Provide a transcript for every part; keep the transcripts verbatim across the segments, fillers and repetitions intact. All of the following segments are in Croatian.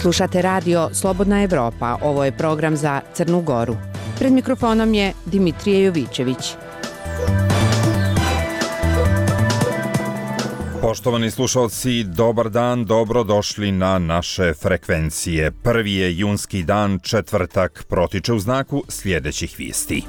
Slušate radio Slobodna Evropa, ovo je program za Crnu Goru. Pred mikrofonom je Dimitrije Jovićević. Poštovani slušalci, dobar dan, dobrodošli na naše frekvencije. Prvi je junski dan, četvrtak, protiče u znaku sljedećih vijesti.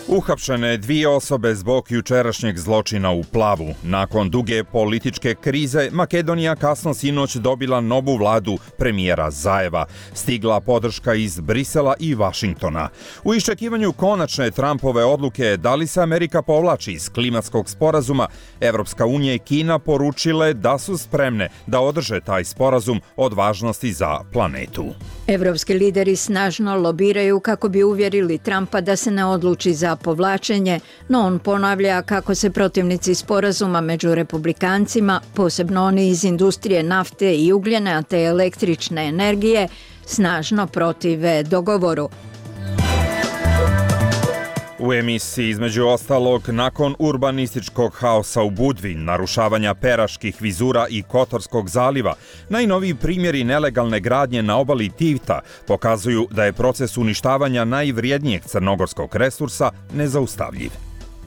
Uhapšene dvije osobe zbog jučerašnjeg zločina u Plavu. Nakon duge političke krize, Makedonija kasno sinoć dobila novu vladu premijera Zajeva. Stigla podrška iz Brisela i Vašingtona. U iščekivanju konačne Trumpove odluke da li se Amerika povlači iz klimatskog sporazuma, Evropska unija i Kina poručile da su spremne da održe taj sporazum od važnosti za planetu. Evropski lideri snažno lobiraju kako bi uvjerili Trumpa da se ne odluči za povlačenje, no on ponavlja kako se protivnici sporazuma među republikancima, posebno oni iz industrije nafte i ugljena te električne energije, snažno protive dogovoru. U emisiji između ostalog, nakon urbanističkog haosa u Budvi, narušavanja Peraških vizura i Kotorskog zaliva, najnoviji primjeri nelegalne gradnje na obali Tivta pokazuju da je proces uništavanja najvrijednijeg crnogorskog resursa nezaustavljiv.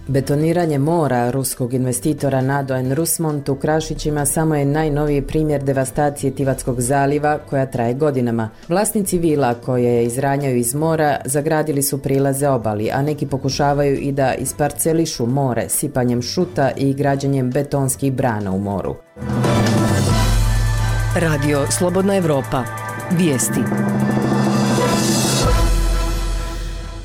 Betoniranje mora ruskog investitora Nadoen Rusmont u Krašićima samo je najnoviji primjer devastacije Tivatskog zaliva koja traje godinama. Vlasnici vila koje izranjaju iz mora zagradili su prilaze obali, a neki pokušavaju i da isparcelišu more sipanjem šuta i građenjem betonskih brana u moru. Radio Slobodna Evropa. Vijesti.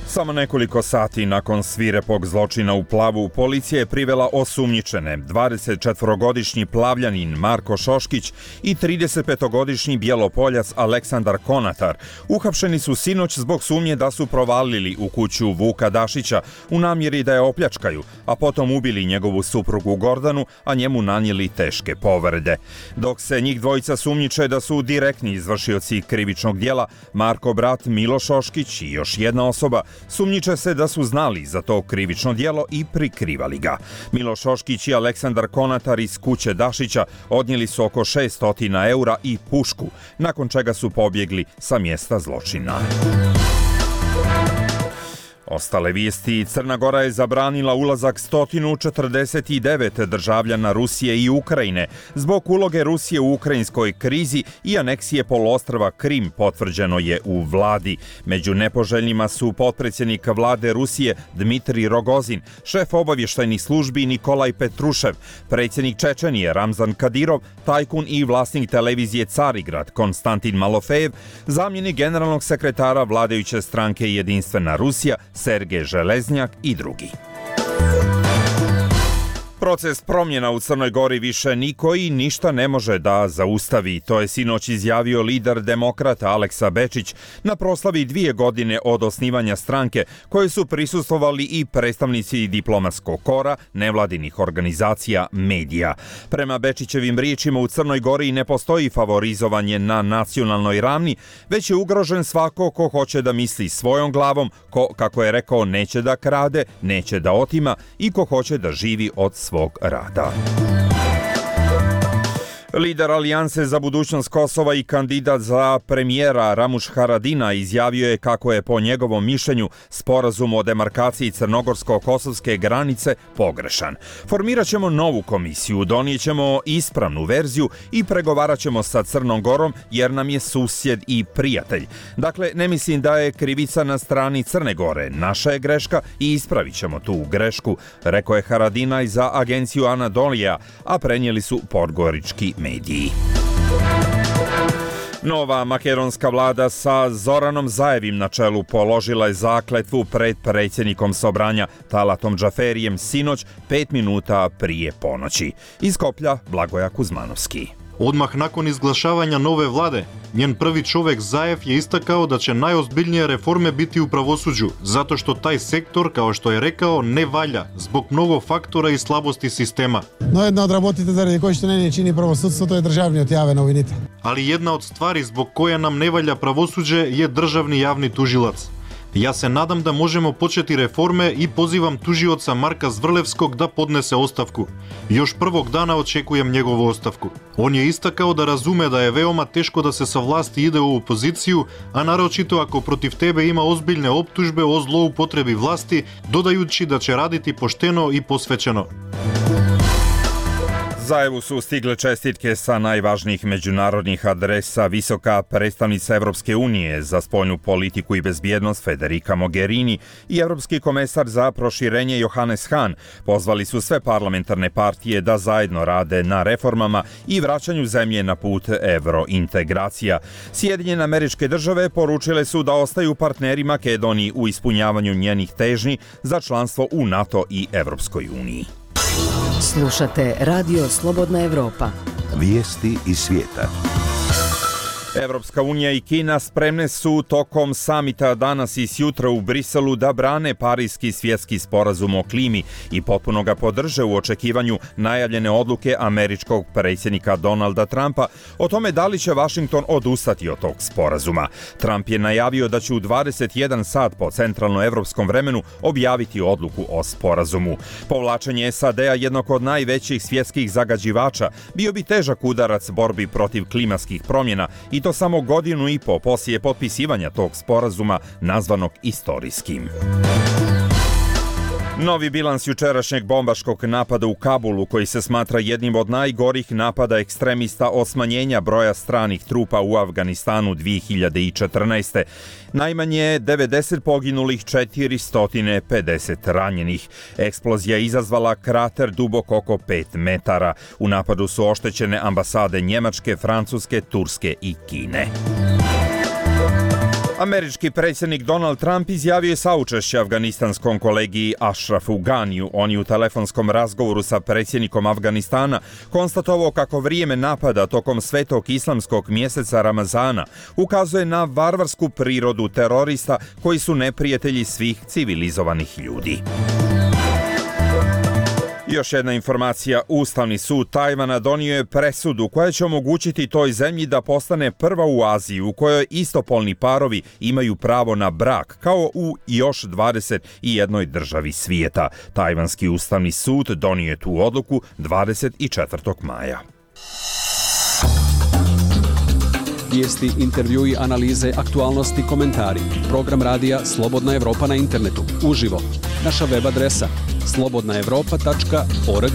Samo nekoliko sati nakon svirepog zločina u Plavu, policija je privela osumnjičene, dvadesetčetvorogodišnji Plavljanin Marko Šoškić i tridesetpetogodišnji Bjelopoljac Aleksandar Konatar. Uhapšeni su sinoć zbog sumnje da su provalili u kuću Vuka Dašića u namjeri da je opljačkaju, a potom ubili njegovu suprugu Gordanu, a njemu nanijeli teške povrede. Dok se njih dvojica sumnjiče da su direktni izvršioci krivičnog djela, Marko brat Milo Šoškić i još jedna osoba sumnjiče se da su znali za to krivično djelo i prikrivali ga. Milo Šoškić i Aleksandar Konatar iz kuće Dašića odnijeli su oko šesto eura i pušku, nakon čega su pobjegli sa mjesta zločina. Ostale vijesti. Crna Gora je zabranila ulazak sto četrdeset devet državljana Rusije i Ukrajine zbog uloge Rusije u ukrajinskoj krizi i aneksije poluostrva Krim, potvrđeno je u vladi. Među nepoželjnima su potpredsjednik vlade Rusije Dmitrij Rogozin, šef obavještajnih službi Nikolaj Petrušev, predsjednik Čečenije Ramzan Kadirov, tajkun i vlasnik televizije Carigrad Konstantin Malofejev, zamjenik generalnog sekretara vladajuće stranke Jedinstvena Rusija Sergej Železnjak i drugi. Proces promjena u Crnoj Gori više niko i ništa ne može da zaustavi. To je sinoć izjavio lider demokrata Aleksa Bečić na proslavi dvije godine od osnivanja stranke, koje su prisustvovali i predstavnici diplomatskog kora, nevladinih organizacija, medija. Prema Bečićevim riječima, u Crnoj Gori ne postoji favorizovanje na nacionalnoj ravni, već je ugrožen svako ko hoće da misli svojom glavom, ko, kako je rekao, neće da krade, neće da otima i ko hoće da živi od svog rada. Lider Alijanse za budućnost Kosova i kandidat za premijera Ramuš Haradina izjavio je kako je po njegovom mišljenju sporazum o demarkaciji crnogorsko-kosovske granice pogrešan. Formirat ćemo novu komisiju, donijet ćemo ispravnu verziju i pregovarat ćemo sa Crnom Gorom jer nam je susjed i prijatelj. Dakle, ne mislim da je krivica na strani Crne Gore. Naša je greška i ispravit ćemo tu grešku, rekao je Haradinaj za agenciju Anadolija, a prenijeli su podgorički mediji. Nova makedonska vlada sa Zoranom Zajevim na čelu položila je zakletvu pred predsjednikom Sobranja Talatom Džaferijem sinoć pet minuta prije ponoći. Iz Skoplja Blagoja Kuzmanovski. Odmah nakon izglašavanja nove vlade, njen prvi čovjek Zajev je istakao da će najozbiljnije reforme biti u pravosuđu, zato što taj sektor, kao što je rekao, ne valja zbog mnogo faktora i slabosti sistema. No jedna od работите заради кои што не чини правосудството е државниот јавен обвинител. Ali jedna od stvari zbog koje nam ne valja pravosuđe je državni javni tužilac. Јас се надам да можемо почети реформе и позивам тужиоца Марка Зврлевског да поднесе оставку. Још првог дана очекуjem негову оставку. Он ја истакао да разуме да е веома тешко да се совласти иде у опозицију, а нарочито ако против тебе има озбилне оптужбе о злоупотреби власти, додајучи да ќе радити поштено и посвечено. Zajevu su stigle čestitke sa najvažnijih međunarodnih adresa. Visoka predstavnica Evropske unije za spoljnu politiku i bezbjednost Federica Mogherini i Evropski komesar za proširenje Johannes Hahn pozvali su sve parlamentarne partije da zajedno rade na reformama i vraćanju zemlje na put evrointegracija. Sjedinjene Američke Države poručile su da ostaju partneri Makedoniji u ispunjavanju njenih težnji za članstvo u NATO i Evropskoj uniji. Slušate Radio Slobodna Evropa. Vijesti iz svijeta. Evropska unija i Kina spremne su tokom samita danas i sjutra u Briselu da brane Pariski svjetski sporazum o klimi i potpuno ga podrže u očekivanju najavljene odluke američkog predsjednika Donalda Trumpa o tome da li će Washington odustati od tog sporazuma. Trump je najavio da će u dvadeset jedan sat po centralnoevropskom vremenu objaviti odluku o sporazumu. Povlačenje S A D-a, jednog od najvećih svjetskih zagađivača, bio bi težak udarac borbi protiv klimatskih promjena i to samo godinu i po poslije potpisivanja tog sporazuma nazvanog istorijskim. Novi bilans jučerašnjeg bombaškog napada u Kabulu, koji se smatra jednim od najgorih napada ekstremista od smanjenja broja stranih trupa u Afganistanu dvije hiljade četrnaeste. Najmanje devedeset poginulih, četiristo pedeset ranjenih. Eksplozija je izazvala krater dubok oko pet metara. U napadu su oštećene ambasade Njemačke, Francuske, Turske i Kine. Američki predsjednik Donald Trump izjavio je saučešće afganistanskom kolegi Ashrafu Ganiju. On je u telefonskom razgovoru sa predsjednikom Afganistana konstatovao kako vrijeme napada tokom svetog islamskog mjeseca Ramazana ukazuje na varvarsku prirodu terorista koji su neprijatelji svih civilizovanih ljudi. Još jedna informacija, Ustavni sud Tajvana donio je presudu koja će omogućiti toj zemlji da postane prva u Aziji u kojoj istopolni parovi imaju pravo na brak, kao u još dvadeset jednoj državi svijeta. Tajvanski Ustavni sud donio je tu odluku dvadeset četvrtog maja. Vijesti, intervjui, analize, aktualnosti, komentari. Program radija Slobodna Evropa na internetu. Uživo. Naša web adresa slobodna evropa tačka org.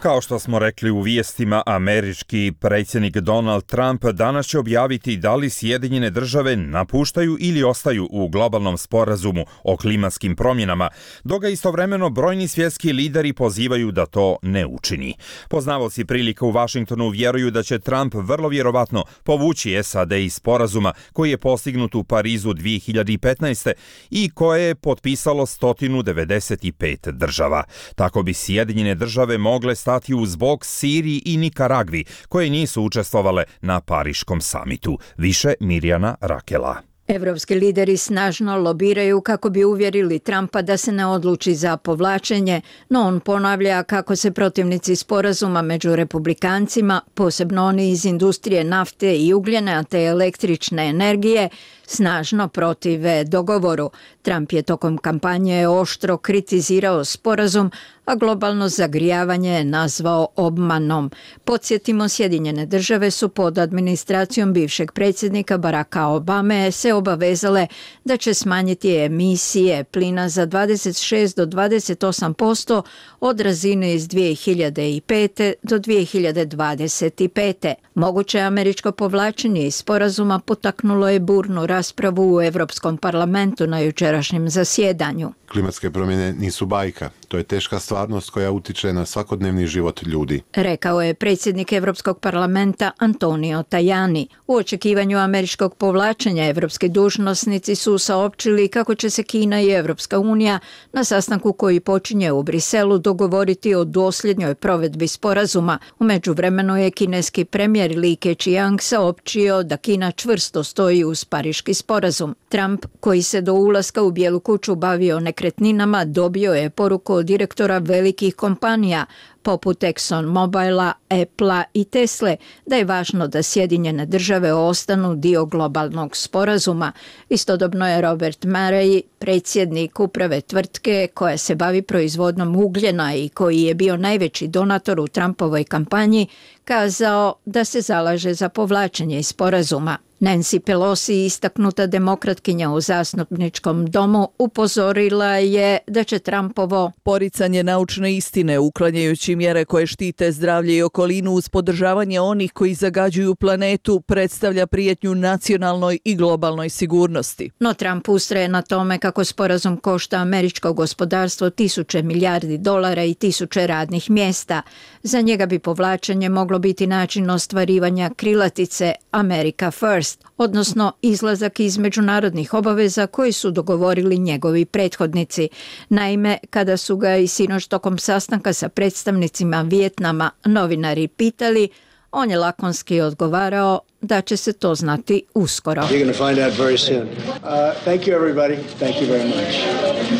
Kao što smo rekli u vijestima, američki predsjednik Donald Trump danas će objaviti da li Sjedinjene države napuštaju ili ostaju u globalnom sporazumu o klimatskim promjenama, dok ga istovremeno brojni svjetski lideri pozivaju da to ne učini. Poznavaoci prilika u Washingtonu vjeruju da će Trump vrlo vjerovatno povući S A D iz sporazuma koji je postignut u Parizu dvije hiljade petnaeste. i koje je potpisalo sto devedeset pet država. Tako bi Sjedinjene države mogle stati uz bok Siriji i Nikaragvi, koje nisu učestvovale na Pariškom samitu. Više Mirjana Rakela. Evropski lideri snažno lobiraju kako bi uvjerili Trumpa da se ne odluči za povlačenje, no on ponavlja kako se protivnici sporazuma među republikancima, posebno oni iz industrije nafte i ugljena te električne energije, snažno protive dogovoru. Trump je tokom kampanje oštro kritizirao sporazum, a globalno zagrijavanje nazvao obmanom. Podsjetimo, Sjedinjene države su pod administracijom bivšeg predsjednika Baracka Obame se obavezale da će smanjiti emisije plina za dvadeset šest do dvadeset osam posto od razine iz dvije hiljade pete. do dvije hiljade dvadeset pete. Moguće američko povlačenje iz sporazuma potaknulo je burnu raspravu u Europskom parlamentu na jučerašnjem zasjedanju. Klimatske promjene nisu bajka. To je teška stvarnost koja utiče na svakodnevni život ljudi, rekao je predsjednik Europskog parlamenta Antonio Tajani. U očekivanju američkog povlačenja evropski dužnosnici su saopćili kako će se Kina i Evropska unija na sastanku koji počinje u Briselu dogovoriti o dosljednjoj provedbi sporazuma. U međuvremenu je kineski premijer Li Keqiang saopćio da Kina čvrsto stoji uz Pariški sporazum. Trump, koji se do ulaska u Bijelu kuću bavio nekretninama, dobio je poruku preko direktora velikih kompanija poput ExxonMobila, Applea i Tesle, da je važno da Sjedinjene države ostanu dio globalnog sporazuma. Istodobno je Robert Murray, predsjednik uprave tvrtke koja se bavi proizvodnom ugljena i koji je bio najveći donator u Trumpovoj kampanji, kazao da se zalaže za povlačenje iz sporazuma. Nancy Pelosi, istaknuta demokratkinja u zastupničkom domu, upozorila je da će Trumpovo poricanje naučne istine, uklanjajući mjere koje štite zdravlje i okolinu uz podržavanje onih koji zagađuju planetu, predstavlja prijetnju nacionalnoj i globalnoj sigurnosti. No Trump ustraje na tome kako sporazum košta američko gospodarstvo tisuće milijardi dolara i tisuće radnih mjesta. Za njega bi povlačenje moglo biti način ostvarivanja krilatice America First, odnosno izlazak iz međunarodnih obaveza koji su dogovorili njegovi prethodnici. Naime, kada su ga i sinoć tokom sastanka sa predstavnicima Vijetnama novinari pitali, on je lakonski odgovarao da će se to znati uskoro. You're going to find out very soon. Uh, thank you everybody. Thank you very much.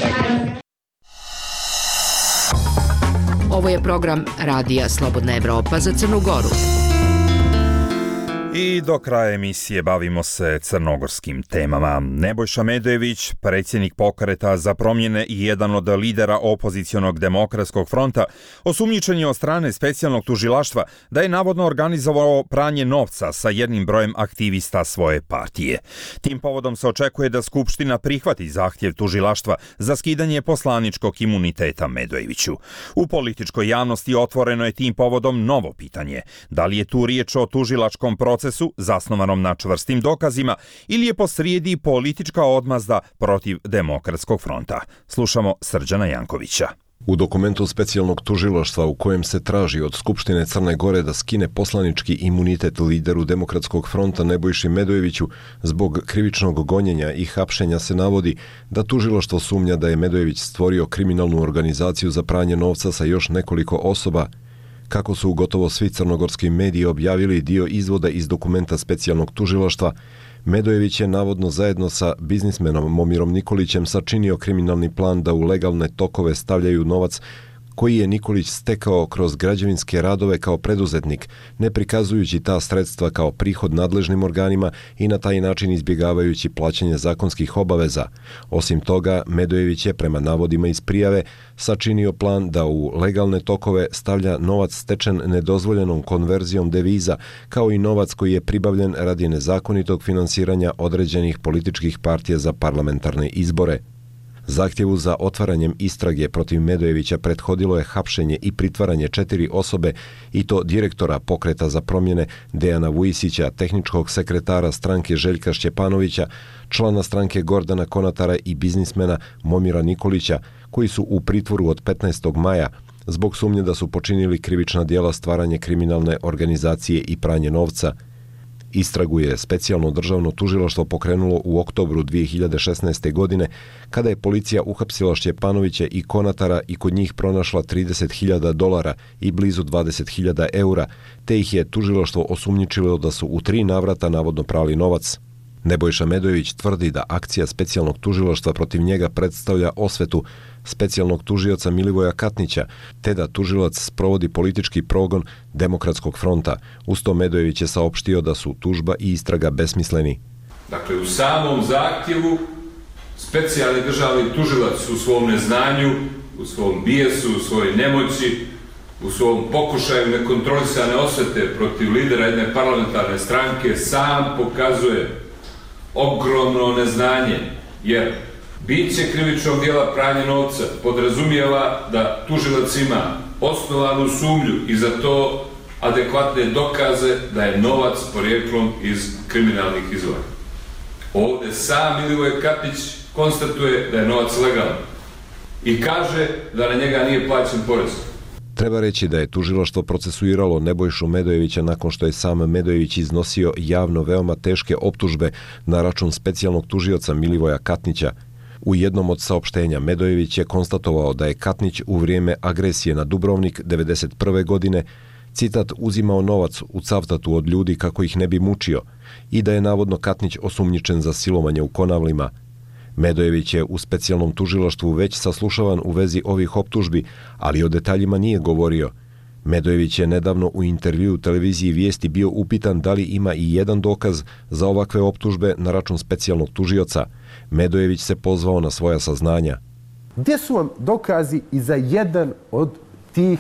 Thank you. Ovo je program Radija Slobodna Evropa za Crnu Goru. I do kraja emisije bavimo se crnogorskim temama. Nebojša Medojević, predsjednik Pokreta za promjene i jedan od lidera opozicionog demokratskog fronta, osumnjičen je od strane specijalnog tužilaštva da je navodno organizovao pranje novca sa jednim brojem aktivista svoje partije. Tim povodom se očekuje da Skupština prihvati zahtjev tužilaštva za skidanje poslaničkog imuniteta Medojeviću. U političkoj javnosti otvoreno je tim povodom novo pitanje. Da li je tu riječ o tužilačkom procesu zasnovanom na čvrstim dokazima ili je posrijedi politička odmazda protiv Demokratskog fronta? Slušamo Srđana Jankovića. U dokumentu specijalnog tužilaštva u kojem se traži od Skupštine Crne Gore da skine poslanički imunitet lideru Demokratskog fronta Nebojši Medojeviću zbog krivičnog gonjenja i hapšenja se navodi da tužilaštvo sumnja da je Medojević stvorio kriminalnu organizaciju za pranje novca sa još nekoliko osoba. Kako su gotovo svi crnogorski mediji objavili dio izvoda iz dokumenta specijalnog tužilaštva, Medojević je navodno zajedno sa biznismenom Momirom Nikolićem sačinio kriminalni plan da u legalne tokove stavljaju novac koji je Nikolić stekao kroz građevinske radove kao preduzetnik, ne prikazujući ta sredstva kao prihod nadležnim organima i na taj način izbjegavajući plaćanje zakonskih obaveza. Osim toga, Medojević je prema navodima iz prijave sačinio plan da u legalne tokove stavlja novac stečen nedozvoljenom konverzijom deviza, kao i novac koji je pribavljen radi nezakonitog finansiranja određenih političkih partija za parlamentarne izbore. Zahtjevu za otvaranjem istrage protiv Medojevića prethodilo je hapšenje i pritvaranje četiri osobe, i to direktora Pokreta za promjene Dejana Vujisića, tehničkog sekretara stranke Željka Šćepanovića, člana stranke Gordana Konatara i biznismena Momira Nikolića, koji su u pritvoru od petnaestog maja zbog sumnje da su počinili krivična djela stvaranje kriminalne organizacije i pranje novca. Istragu je specijalno državno tužilaštvo pokrenulo u oktobru dvije hiljade šesnaeste. godine, kada je policija uhapsila Šćepanovića i Konatara i kod njih pronašla trideset hiljada dolara i blizu dvadeset hiljada eura, te ih je tužilaštvo osumnjičilo da su u tri navrata navodno prali novac. Nebojša Medojević tvrdi da akcija specijalnog tužilaštva protiv njega predstavlja osvetu specijalnog tužioca Milivoja Katnića, te da tužilac sprovodi politički progon Demokratskog fronta. Uz to Medojević je saopštio da su tužba i istraga besmisleni. Dakle, u samom zahtjevu specijalni državni tužilac u svom neznanju, u svom bijesu, u svojoj nemoći, u svom pokušaju nekontrolisane osvete protiv lidera jedne parlamentarne stranke sam pokazuje ogromno neznanje, jer biće krivičnog djela pranje novca podrazumijeva da tužilac ima osnovanu sumnju i za to adekvatne dokaze da je novac porijeklom iz kriminalnih izvora. Ovdje sam Milivoj Katnić konstatuje da je novac legalan i kaže da na njega nije plaćen porez. Treba reći da je tužilaštvo procesuiralo Nebojšu Medojevića nakon što je sam Medojević iznosio javno veoma teške optužbe na račun specijalnog tužioca Milivoja Katnića. U jednom od saopštenja Medojević je konstatovao da je Katnić u vrijeme agresije na Dubrovnik devedeset prve. godine, citat, uzimao novac u Cavtatu od ljudi kako ih ne bi mučio, i da je navodno Katnić osumnjičen za silovanje u Konavlima. Medojević je u specijalnom tužilaštvu već saslušavan u vezi ovih optužbi, ali o detaljima nije govorio. Medojević je nedavno u intervjuu televiziji Vijesti bio upitan da li ima i jedan dokaz za ovakve optužbe na račun specijalnog tužioca. Medojević se pozvao na svoja saznanja. Gdje su vam dokazi i za jedan od tih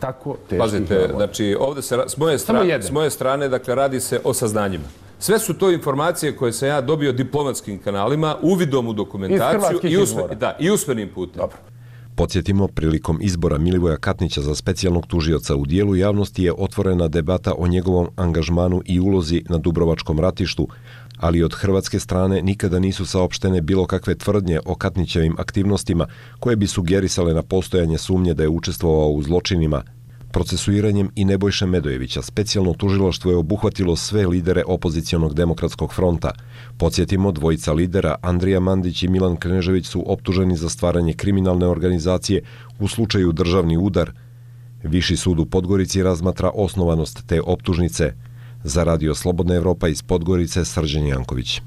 tako teških? Pazite, znači ovdje se s moje strane, s moje strane dakle radi se o saznanjima. Sve su to informacije koje sam ja dobio diplomatskim kanalima, uvidom u dokumentaciju i, usme, da, i usmenim putem. Dobro. Podsjetimo, prilikom izbora Milivoja Katnića za specijalnog tužioca u dijelu javnosti je otvorena debata o njegovom angažmanu i ulozi na Dubrovačkom ratištu, ali od hrvatske strane nikada nisu saopštene bilo kakve tvrdnje o Katnićevim aktivnostima koje bi sugerisale na postojanje sumnje da je učestvovao u zločinima. Procesuiranjem i Nebojše Medojevića specijalno tužilaštvo je obuhvatilo sve lidere opozicionog demokratskog fronta. Podsjetimo, dvojica lidera, Andrija Mandić i Milan Knežević, su optuženi za stvaranje kriminalne organizacije u slučaju Državni udar. Viši sud u Podgorici razmatra osnovanost te optužnice. Za Radio Slobodna Evropa iz Podgorice, Srđan Janković.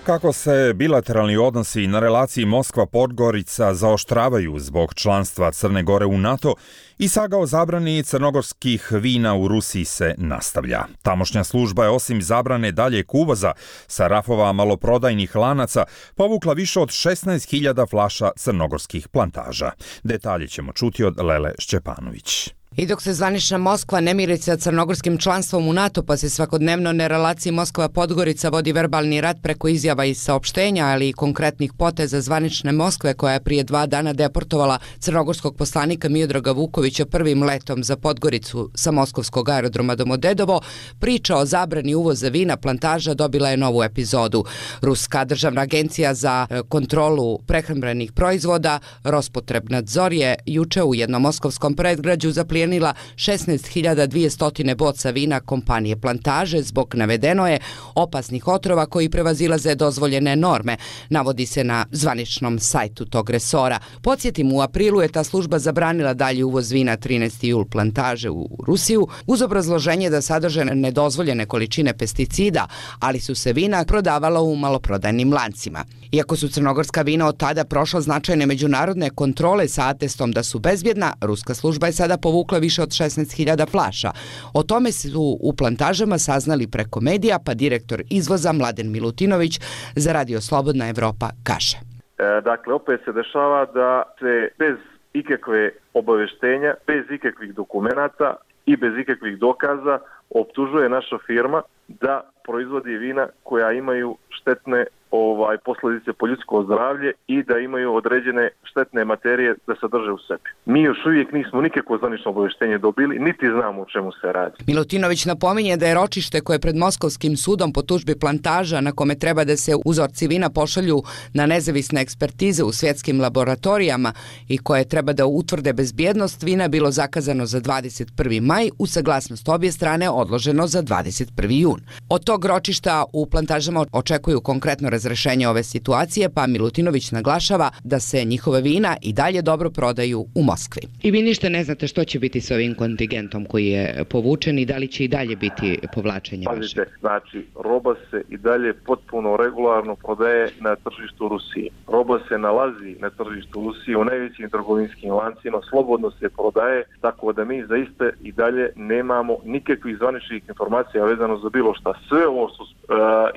Kako se bilateralni odnosi na relaciji Moskva-Podgorica zaoštravaju zbog članstva Crne Gore u NATO, i saga o zabrani crnogorskih vina u Rusiji se nastavlja. Tamošnja služba je osim zabrane daljeg uvoza sa rafova maloprodajnih lanaca povukla više od šesnaest hiljada flaša crnogorskih plantaža. Detalje ćemo čuti od Lele Šćepanović. I dok se zvanična Moskva ne miri sa crnogorskim članstvom u NATO, pa se svakodnevno na relaciji Moskva-Podgorica vodi verbalni rat preko izjava i saopštenja, ali i konkretnih poteza zvanične Moskve, koja je prije dva dana deportovala crnogorskog poslanika Miodraga Vukovića prvim letom za Podgoricu sa moskovskog aerodroma Domodedovo, priča o zabrani uvoza vina plantaža dobila je novu epizodu. Ruska državna agencija za kontrolu prehrambenih proizvoda Rospotrebnadzor je juče u jednom moskovskom predgrađu zaplijenila šesnaest hiljada dvjesto boca vina kompanije Plantaže zbog, navedeno je, opasnih otrova koji prevazilaze dozvoljene norme, navodi se na zvaničnom sajtu tog resora. Podsjetim, u aprilu je ta služba zabranila dalji uvoz vina trinaesti jul Plantaže u Rusiju uz obrazloženje da sadrže nedozvoljene količine pesticida, ali su se vina prodavala u maloprodajnim lancima. Iako su crnogorska vina od tada prošla značajne međunarodne kontrole sa atestom da su bezbjedna, ruska služba je sada povukla više od šesnaest hiljada flaša. O tome su u Plantažama saznali preko medija, pa direktor izvoza Mladen Milutinović za Radio Slobodna Evropa kaže. E, dakle, opet se dešava da se bez ikakve obaveštenja, bez ikakvih dokumenata i bez ikakvih dokaza optužuje naša firma da proizvodi vina koja imaju štetne ovaj posljedice po ljudsko zdravlje i da imaju određene štetne materije da sadrže u sebi. Mi još uvijek nismo nikakvo zvanično obavještenje dobili, niti znamo o čemu se radi. Milutinović napominje da je ročište koje je pred Moskovskim sudom po tužbi Plantaža, na kome treba da se uzorci vina pošalju na nezavisne ekspertize u svjetskim laboratorijama i koje treba da utvrde bezbjednost vina, bilo zakazano za dvadeset prvi maj, uz saglasnost obje strane odloženo za dvadeset prvi jun. Od tog ročišta u Plantažama očekuju konkretno razrešenje ove situacije, pa Milutinović naglašava da se njihove vina i dalje dobro prodaju u Moskvi. I vi ništa ne znate što će biti s ovim kontingentom koji je povučen i da li će i dalje biti povlačenje vaše? Pazite, znači, roba se i dalje potpuno regularno prodaje na tržištu Rusije. Roba se nalazi na tržištu Rusije u najvećim trgovinskim lancima, slobodno se prodaje, tako da mi zaista i dalje nemamo nikakvih zvaničnih informacija vezano za bilo šta. Sve ovo su uh,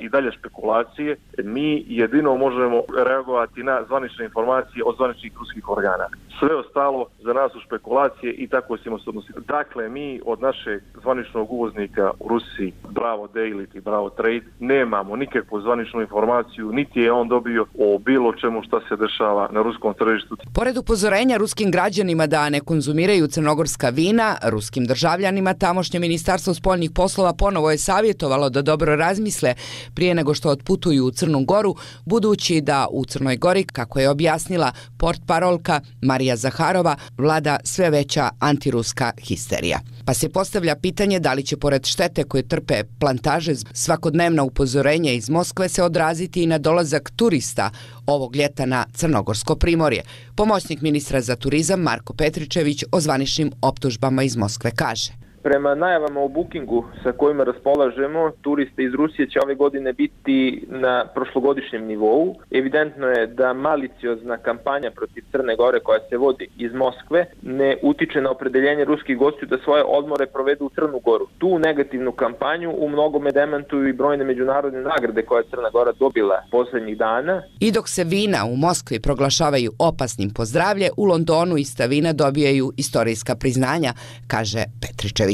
i dalje špekulacije. Mi jedino možemo reagovati na zvanične informacije od zvaničnih ruskih organa. Sve ostalo za nas su špekulacije i tako ćemo se odnositi. Dakle, mi od našeg zvaničnog uvoznika u Rusiji, Bravo Daily i Bravo Trade, nemamo nikakvu zvaničnu informaciju, niti je on dobio o bilo čemu šta se dešava na ruskom tržištu. Pored upozorenja ruskim građanima da ne konzumiraju crnogorska vina, ruskim državljanima tamošnje ministarstvo spoljnih poslova ponovo je savjetovalo da dobro razmisle prije nego što otputuju u Crnu Goru, budući da u Crnoj Gori, kako je objasnila portparolka Marija Zaharova, vlada sve veća antiruska histerija. Pa se postavlja pitanje da li će pored štete koje trpe Plantaže svakodnevna upozorenja iz Moskve se odraziti i na dolazak turista ovog ljeta na Crnogorsko primorje. Pomoćnik ministra za turizam Marko Petričević o zvaničnim optužbama iz Moskve kaže. Prema najavama o bookingu sa kojima raspolažemo, turiste iz Rusije će ove godine biti na prošlogodišnjem nivou. Evidentno je da maliciozna kampanja protiv Crne Gore koja se vodi iz Moskve ne utiče na opredeljenje ruskih gostiju da svoje odmore provedu u Crnu Goru. Tu negativnu kampanju u mnogome demantuju i brojne međunarodne nagrade koje je Crna Gora dobila poslednjih dana. I dok se vina u Moskvi proglašavaju opasnim po zdravlje, u Londonu ista vina dobijaju istorijska priznanja, kaže Petričević.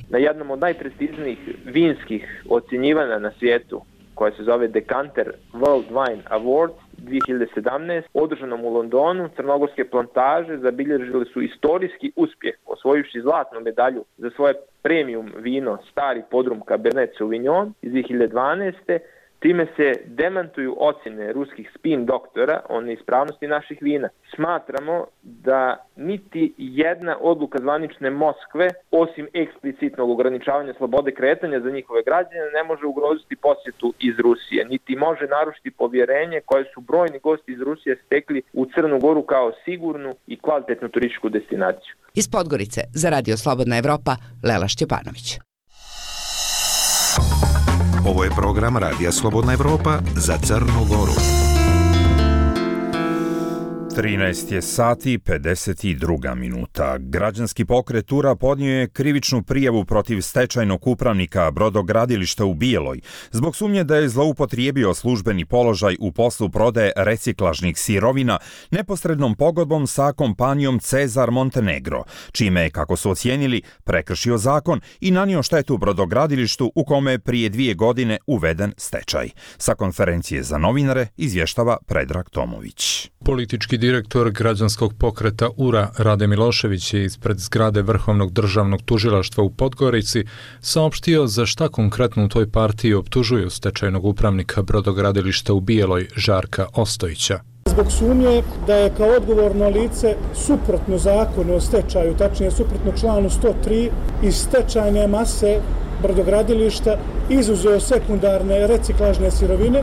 Na jednom od najprestižnijih vinskih ocjenjivanja na svijetu, koja se zove Decanter World Wine Award dvije hiljade sedamnaeste. održanom u Londonu, crnogorske plantaže zabilježile su istorijski uspjeh, osvojivši zlatnu medalju za svoje premium vino Stari podrum Cabernet Sauvignon iz dvije hiljade dvanaeste. Time se demantuju ocjene ruskih spin doktora o neispravnosti naših vina. Smatramo da niti jedna odluka zvanične Moskve, osim eksplicitnog ograničavanja slobode kretanja za njihove građane, ne može ugroziti posjetu iz Rusije, niti može narušiti povjerenje koje su brojni gosti iz Rusije stekli u Crnu Goru kao sigurnu i kvalitetnu turističku destinaciju. Iz Podgorice za Radio Slobodna Evropa, Lela Šćepanović. Ovo je program Radija Slobodna Evropa za Crnu Goru. trinaest je sati pedeset dva minuta. Građanski pokret Ura podnio je krivičnu prijavu protiv stečajnog upravnika brodogradilišta u Bijeloj zbog sumnje da je zloupotrijebio službeni položaj u poslu prodaje reciklažnih sirovina neposrednom pogodbom sa kompanijom Cezar Montenegro, čime je, kako su ocijenili, prekršio zakon i nanio štetu brodogradilištu u kome je prije dvije godine uveden stečaj. Sa konferencije za novinare izvještava Predrag Tomović. Politički direktor građanskog pokreta Ura Rade Milošević je ispred zgrade Vrhovnog državnog tužilaštva u Podgorici saopštio za šta konkretno u toj partiji optužuju stečajnog upravnika brodogradilišta u Bijeloj Žarka Ostojića. Zbog sumnje da je kao odgovorno lice suprotno zakonu o stečaju, tačnije suprotno članu sto tri, iz stečajne mase brodogradilišta izuzeo sekundarne reciklažne sirovine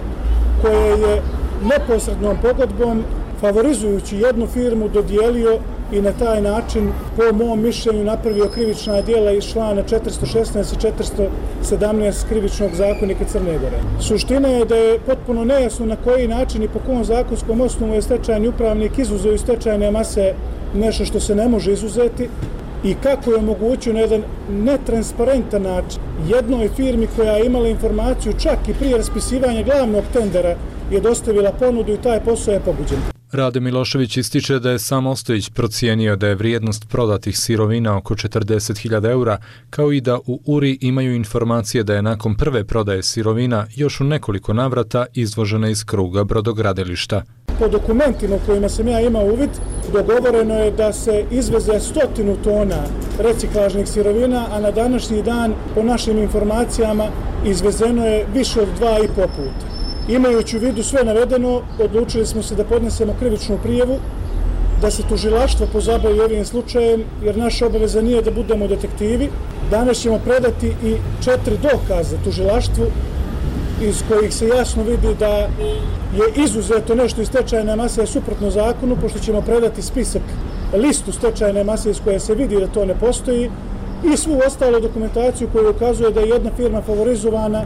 koje je neposrednom pogodbom, favorizujući jednu firmu, dodijelio i na taj način, po mom mišljenju, napravio krivična djela iz člana četiristo šesnaest i četiristo sedamnaest krivičnog zakonika Crne Gore. Suština je da je potpuno nejasno na koji način i po kom zakonskom osnovu je stečajni upravnik izuzeo iz stečajne mase nešto što se ne može izuzeti i kako je omogućio na jedan netransparentan način jednoj firmi koja je imala informaciju čak i prije raspisivanja glavnog tendera je dostavila ponudu i taj posao je pobuđen. Rade Milošević ističe da je sam Ostojić procijenio da je vrijednost prodatih sirovina oko četrdeset hiljada eura, kao i da u Uri imaju informacije da je nakon prve prodaje sirovina još u nekoliko navrata izvožena iz kruga brodogradilišta. Po dokumentima kojima sam ja imao uvid, dogovoreno je da se izveze stotinu tona reciklažnih sirovina, a na današnji dan, po našim informacijama, izvezeno je više od dva i po puta. Imajući u vidu sve navedeno, odlučili smo se da podnesemo krivičnu prijavu, da se tužilaštvo pozabavi ovim slučajem, jer naša obaveza nije da budemo detektivi. Danas ćemo predati i četiri dokaza tužilaštvu iz kojih se jasno vidi da je izuzeto nešto iz stečajne mase suprotno zakonu, pošto ćemo predati spisak, listu stečajne mase iz koje se vidi da to ne postoji i svu ostalu dokumentaciju koja ukazuje da je jedna firma favorizovana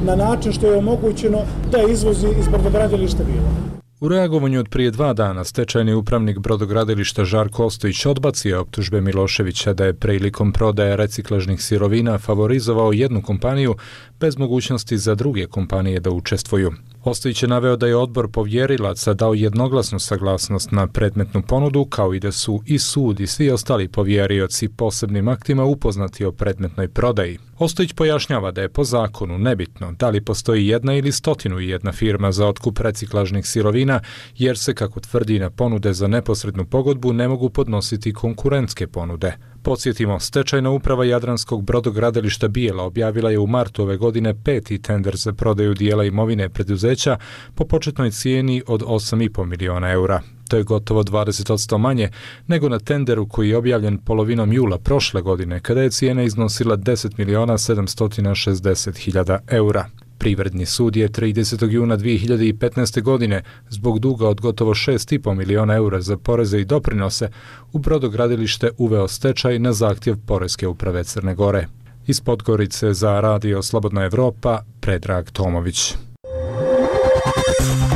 na način što je omogućeno da izvozi iz brodogradilišta Bijeloj. U reagovanju od prije dva dana stečajni upravnik brodogradilišta Žarko Ostojić odbacio optužbe Miloševića da je prilikom prodaje reciklažnih sirovina favorizovao jednu kompaniju bez mogućnosti za druge kompanije da učestvuju. Ostojić je naveo da je odbor povjerilaca dao jednoglasnu saglasnost na predmetnu ponudu, kao i da su i sud i svi ostali povjerioci posebnim aktima upoznati o predmetnoj prodaji. Ostojić pojašnjava da je po zakonu nebitno da li postoji jedna ili stotinu i jedna firma za otkup reciklažnih sirovina, jer se, kako tvrdi, na ponude za neposrednu pogodbu ne mogu podnositi konkurentske ponude. Podsjetimo, stečajna uprava Jadranskog brodogradilišta Bijela objavila je u martu ove godine peti tender za prodaju dijela imovine preduzeća po početnoj cijeni od osam i po miliona eura. To je gotovo dvadeset posto manje nego na tenderu koji je objavljen polovinom jula prošle godine, kada je cijena iznosila deset miliona sedamsto šezdeset hiljada eura. Privredni sud je tridesetog juna dvije hiljade petnaeste. godine zbog duga od gotovo šest i po miliona eura za poreze i doprinose u brodogradilište uveo stečaj na zahtjev Poreske uprave Crne Gore. Iz Podgorice za Radio Slobodna Evropa, Predrag Tomović.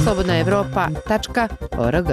slobodna evropa tačka org.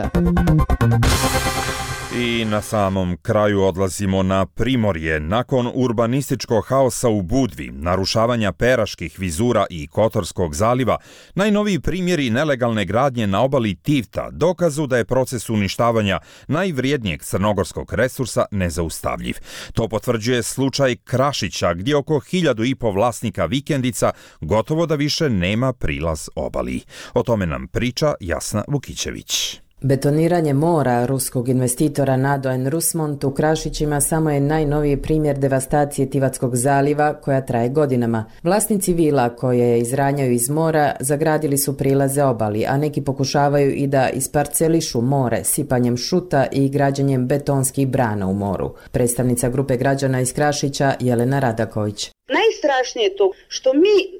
I na samom kraju odlazimo na Primorje. Nakon urbanističkog haosa u Budvi, narušavanja Peraških vizura i Kotorskog zaliva, najnoviji primjeri nelegalne gradnje na obali Tivta dokazu da je proces uništavanja najvrijednijeg crnogorskog resursa nezaustavljiv. To potvrđuje slučaj Krašića, gdje oko hiljadu i po vlasnika vikendica gotovo da više nema prilaz obali. O tome nam priča Jasna Vukićević. Betoniranje mora ruskog investitora Nado en Rusmont u Krašićima samo je najnoviji primjer devastacije Tivatskog zaliva koja traje godinama. Vlasnici vila koje izranjaju iz mora zagradili su prilaze obali, a neki pokušavaju i da isparcelišu more sipanjem šuta i građenjem betonskih brana u moru. Predstavnica grupe građana iz Krašića Jelena Radaković. Najstrašnije je to što mi, e,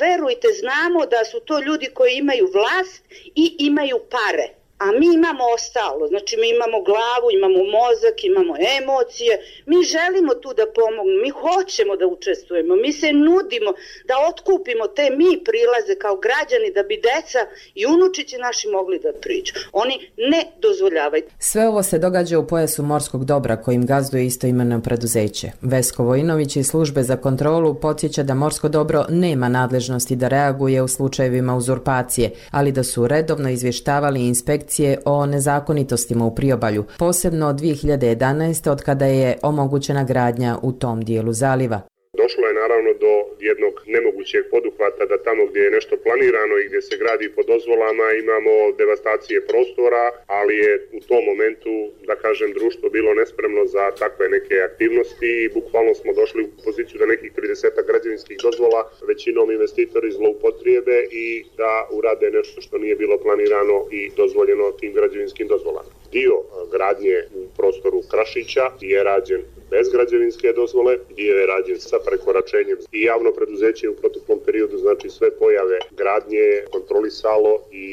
verujte, znamo da su to ljudi koji imaju vlast i imaju pare. A mi imamo ostalo, znači mi imamo glavu, imamo mozak, imamo emocije, mi želimo tu da pomognemo, mi hoćemo da učestvujemo, mi se nudimo da otkupimo te mi prilaze kao građani da bi deca i unučići naši mogli da priđu. Oni ne dozvoljavaju. Sve ovo se događa u pojasu morskog dobra kojim gazduje istoimeno preduzeće. Vesko Vojinović iz službe za kontrolu podsjeća da morsko dobro nema nadležnosti da reaguje u slučajevima uzurpacije, ali da su redovno izvještavali inspekcije o nezakonitostima u priobalju, posebno od dvije hiljade jedanaeste. od kada je omogućena gradnja u tom dijelu zaliva. Došlo je naravno do jednog nemogućeg poduhvata da tamo gdje je nešto planirano i gdje se gradi po dozvolama imamo devastacije prostora, ali je u tom momentu, da kažem, društvo bilo nespremno za takve neke aktivnosti i bukvalno smo došli u poziciju da nekih trideset građevinskih dozvola većinom investitori zloupotrijebe i da urade nešto što nije bilo planirano i dozvoljeno tim građevinskim dozvolama. Dio gradnje u prostoru Krašića je rađen bez građevinske dozvole, dio je rađen sa prekoračenjem i javno preduzeće u proteklom periodu, znači sve pojave gradnje kontrolisalo i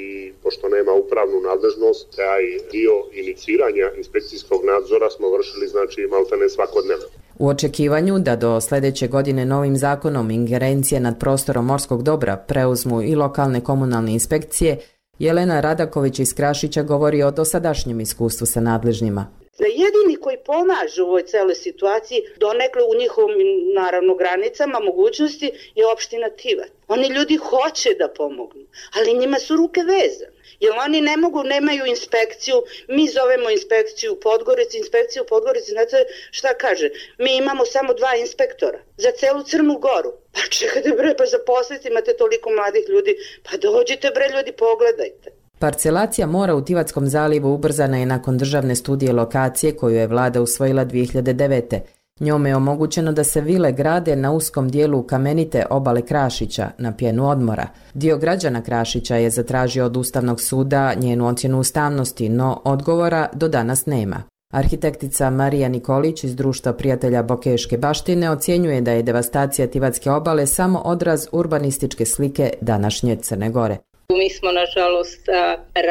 pošto nema upravnu nadležnost, taj dio iniciranja inspekcijskog nadzora smo vršili znači maltene svakodnevno. U očekivanju da do sljedeće godine novim zakonom ingerencije nad prostorom morskog dobra preuzmu i lokalne komunalne inspekcije, Jelena Radaković iz Krašića govori o dosadašnjem iskustvu sa nadležnjima. Da jedini koji pomažu u ovoj celoj situaciji, donekle u njihovim, naravno, granicama, mogućnosti, je opština Tivat. Oni ljudi hoće da pomognu, ali njima su ruke vezane. Jer oni ne mogu, nemaju inspekciju, mi zovemo inspekciju u Podgorici, inspekciju u Podgorici, znate šta kaže? Mi imamo samo dva inspektora za celu Crnu Goru. Pa čekajte bre, pa zaposliti, imate toliko mladih ljudi, pa dođite bre ljudi, pogledajte. Parcelacija mora u Tivatskom zalivu ubrzana je nakon državne studije lokacije koju je vlada usvojila dvije hiljade devete. Njome je omogućeno da se vile grade na uskom dijelu kamenite obale Krašića, na pjenu odmora. Dio građana Krašića je zatražio od Ustavnog suda njenu ocjenu ustavnosti, no odgovora do danas nema. Arhitektica Marija Nikolić iz Društva prijatelja Bokeške baštine ocjenjuje da je devastacija Tivatske obale samo odraz urbanističke slike današnje Crne Gore. Mi smo, nažalost,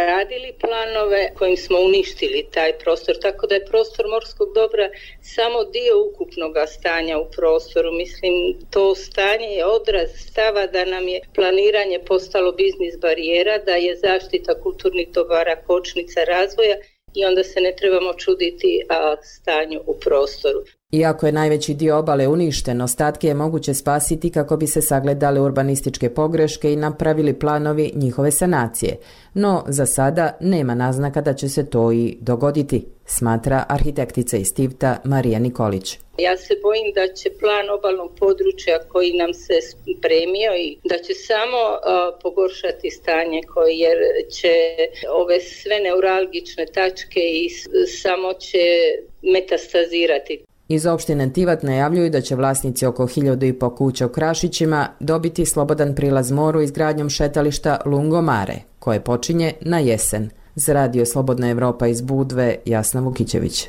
radili planove kojim smo uništili taj prostor, tako da je prostor morskog dobra samo dio ukupnog stanja u prostoru. Mislim, to stanje je odraz stava da nam je planiranje postalo biznis barijera, da je zaštita kulturnih dobara kočnica razvoja i onda se ne trebamo čuditi a, stanju u prostoru. Iako je najveći dio obale uništen, ostatke je moguće spasiti kako bi se sagledale urbanističke pogreške i napravili planovi njihove sanacije. No, za sada nema naznaka da će se to i dogoditi, smatra arhitektica iz Tivta Marija Nikolić. Ja se bojim da će plan obalnog područja koji nam se spremio i da će samo uh, pogoršati stanje koje, jer će ove sve neuralgične tačke i samo će metastazirati. Iz opštine Tivat najavljuju da će vlasnici oko hiljadu i po kuća u Krašićima dobiti slobodan prilaz moru izgradnjom šetališta Lungomare, koje počinje na jesen. Za Radio Slobodna Evropa iz Budve, Jasna Vukićević.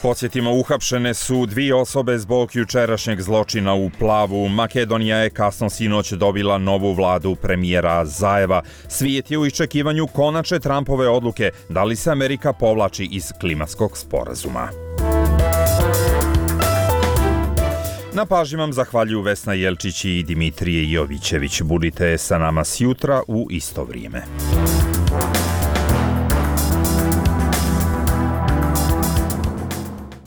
Podsjetimo, uhapšene su dvije osobe zbog jučerašnjeg zločina u Plavu. Makedonija je kasno sinoć dobila novu vladu premijera Zajeva. Svijet je u iščekivanju konačne Trumpove odluke da li se Amerika povlači iz klimatskog sporazuma. Na pažnji vam zahvaljuju Vesna Jelčić i Dimitrije Jovićević. Budite sa nama sjutra u isto vrijeme.